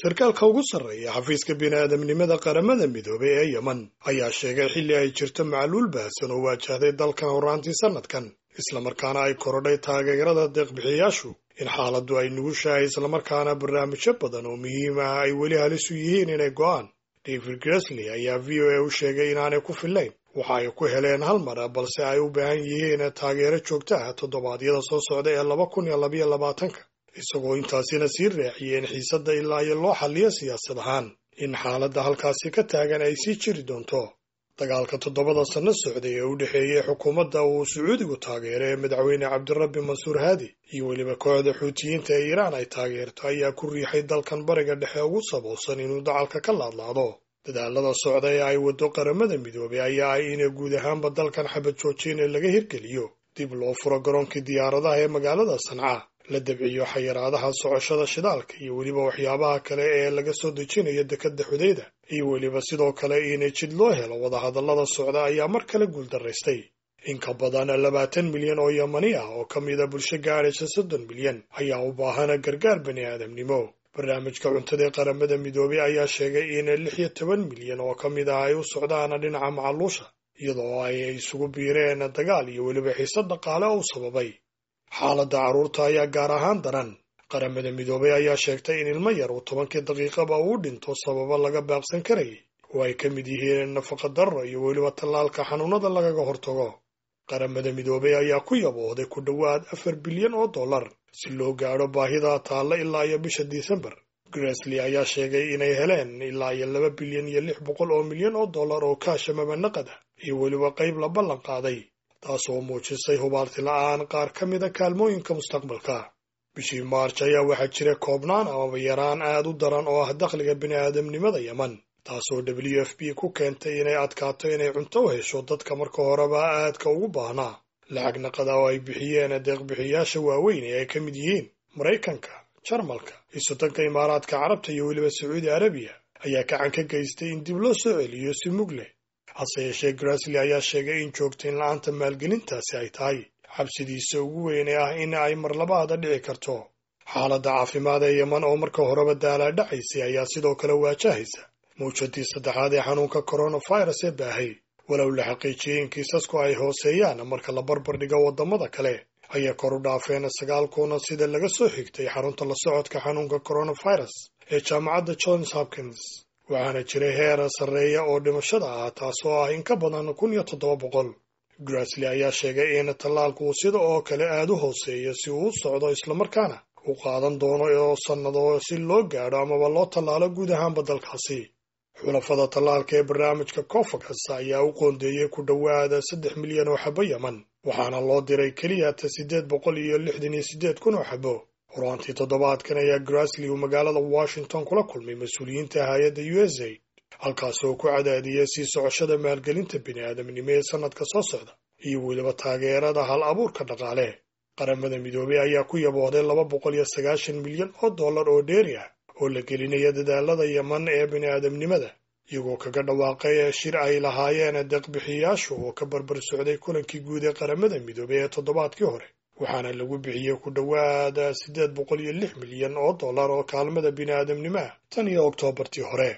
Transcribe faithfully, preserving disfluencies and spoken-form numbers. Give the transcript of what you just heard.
Sarkaalka ugu sarreeya xafiiska bini'aadamnimada Qaramada Midoobay ee Yemen ayaa sheegay, xilli ay jirto macluul baahsan oo waajahday dalkan horraantii sannadkan, islamarkaana ay korodhay taageerada deeqbixiyaashu, in xaaladdu ay nugushahay, islamarkaana barnaamijyo badan oo muhiim ah ay weli halis u yihiin inay go'aan. David Gressly ayaa V O A u sheegay inaanay ku fillayn waxa ay ku heleen hal mar, balse ay u baahan yihiin taageero joogto ah toddobaadyada soo socda ee laba kun iyo labayo labaatanka, isagoo intaasina sii raaciyey in xiisadda ilaa iyo loo xalliyo siyaasad ahaan in xaaladda halkaasi ka taagan ay sii jiri doonto. Dagaalka toddobada sanno socday ee u dhexeeyey xukuumadda uu Sacuudigu taageero ee madaxweyne Cabdirabbi Mansuur Haadi iyo weliba kooxda Xuutiyiinta ee Iiraan ay taageerto ayaa ku riixay dalkan Bariga Dhexe ugu saboolsan inuu dacalka ka laadlaado. Dadaalada socda ee ay waddo Qaramada Midoobay ayaa ah in guud ahaanba dalkan xabad joojin laga hirgeliyo, dib loo furo garoonkii diyaaradaha ee magaalada Sanca, la dabciyo xayiraadaha socoshada shidaalka iyo weliba waxyaabaha kale ee laga soo dejinayo dekadda Xudayda, iyo weliba sidoo kale in jid loo helo wadahadallada socda ayaa mar kale guuldaraystay. In ka badan labaatan milyan oo Yamani ah oo ka mida bulsho gaadhaysa soddon milyan ayaa u baahana gargaar bani aadamnimo. Barnaamijka cuntada ee Qaramada Midoobay ayaa sheegay in lix iyo toban milyan oo ka mid ah ay u socdaan dhinaca macaluusha, iyadoo ay isugu biireen dagaal iyo weliba xiisad dhaqaale oo u sababay. Xaaladda carruurta ayaa gaar ahaan daran. Qaramada Midoobay ayaa sheegtay in ilmo yar uu tobankii daqiiqaba uu dhinto sababo laga baaqsan karayay oo ay ka mid yihiin nafaqa darro iyo weliba tallaalka xanuunada lagaga hortago. Qaramada Midoobay ayaa ku yaboohday ku dhowaad afar bilyan oo dollar si loo gaadho baahida taalla ilaa iyo bisha Disembar. Gressly ayaa sheegay inay heleen ilaa iyo laba bilyan iyo lix boqol oo milyan oo dollar oo kaash amaba naqad ah iyo weliba qayb la ballan qaaday, taasoo muujisay hubaarti la'aan qaar ka mida kaalmooyinka mustaqbalka. Bishii Maarj ayaa waxaa jira koobnaan amaba yaraan aad u daran oo ah dakhliga bini'aadamnimada Yemen, taasoo W F P ku keentay inay adkaato inay cunto u hesho dadka marka horeba aadka ugu baahnaa. Lacag naqada oo ay bixiyeen deeqbixiyaasha waaweyn ee ay ka mid yihiin Maraykanka, Jarmalka, Isotanka Imaaraadka Carabta iyo weliba Sacuudi Arabiya ayaa gacan ka geystay in dib loo soo celiyo si mug leh. Hase yeeshee, Gressly ayaa sheegay in joogtayn la'aanta maalgelintaasi ay tahay xabsidiisa ugu weyn ee ah in ay marlabaada dhici karto. Xaaladda caafimaad ee Yeman oo marka horeba daalaadhacaysay ayaa sidoo kale waajahaysa mawjadii saddexaad ee xanuunka coronavirus ee baahay. Walow la xaqiijiyey in kiisasku ay hooseeyaan marka la barbar dhigo waddamada kale, ayaa kor u dhaafeen sagaal kuna, sida laga soo xigtay xarunta la socodka xanuunka coronavirus ee jaamacadda Johns Hopkins, waxaana jiray heer sarreeya oo dhimashada ah, taasoo ah in ka badan kun iyo toddoba boqol. Gressly ayaa sheegay in tallaalku uu sida oo kale aada u hooseeyo si uu u socdo, islamarkaana uu qaadan doono oo sannado si loo gaadho amaba loo tallaalo guud ahaanba dalkaasi. Xulafada tallaalka ee barnaamijka COVAX ayaa u qoondeeyey ku dhowaada saddex milyan oo xabo Yeman, waxaana loo diray keliya ta siddeed boqol iyo lixdan iyo siddeed kun oo xabo. Horaantii toddobaadkan ayaa Gressly uu magaalada Washington kula kulmay mas-uuliyiinta hay-adda U S A I D, halkaasoo ku cadaadiyay sii socoshada maalgelinta bini'aadamnimo ee sannadka soo socda iyo weliba taageerada hal abuurka dhaqaale. Qaramada Midoobay ayaa ku yaboohday laba boqol iyo sagaashan milyan oo dollar oo dheeri ah oo la gelinaya dadaalada Yeman ee bini'aadamnimada, iyagoo kaga dhawaaqay shir ay lahaayeen deeqbixiyaashu oo ka barbar socday kulankii guud ee Qaramada Midoobay ee toddobaadkii hore, waxaana lagu bixiyey ku dhowaad siddeed boqol iyo lix milyan oo dollar oo kaalmada bini'aadamnimo ah tan iyo Oktoobartii hore.